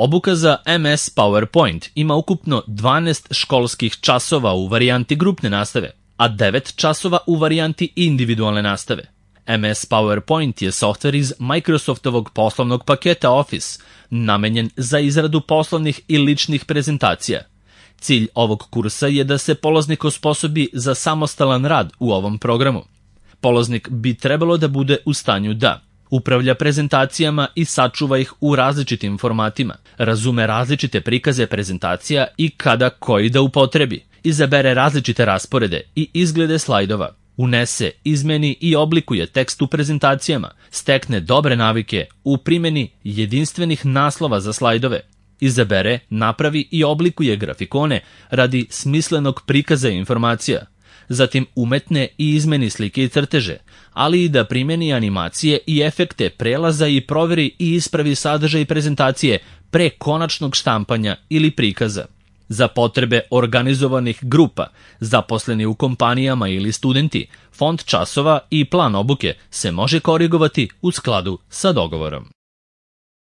Obuka za MS PowerPoint ima ukupno 12 školskih časova u varijanti grupne nastave, a 9 časova u varijanti individualne nastave. MS PowerPoint je softver iz Microsoftovog poslovnog paketa Office, namenjen za izradu poslovnih i ličnih prezentacija. Cilj ovog kursa je da se polaznik osposobi za samostalan rad u ovom programu. Polaznik bi trebalo da bude u stanju da upravlja prezentacijama i sačuva ih u različitim formatima, razume različite prikaze prezentacija i kada koji da upotrebi, izabere različite rasporede i izglede slajdova, unese, izmeni i oblikuje tekst u prezentacijama, stekne dobre navike u primjeni jedinstvenih naslova za slajdove, izabere, napravi i oblikuje grafikone radi smislenog prikaza informacija, zatim umetne i izmeni slike i crteže, ali i da primjeni animacije i efekte prelaza i proveri i ispravi sadržaj prezentacije pre konačnog štampanja ili prikaza. Za potrebe organizovanih grupa, zaposleni u kompanijama ili studenti, fond časova i plan obuke se može korigovati u skladu sa dogovorom.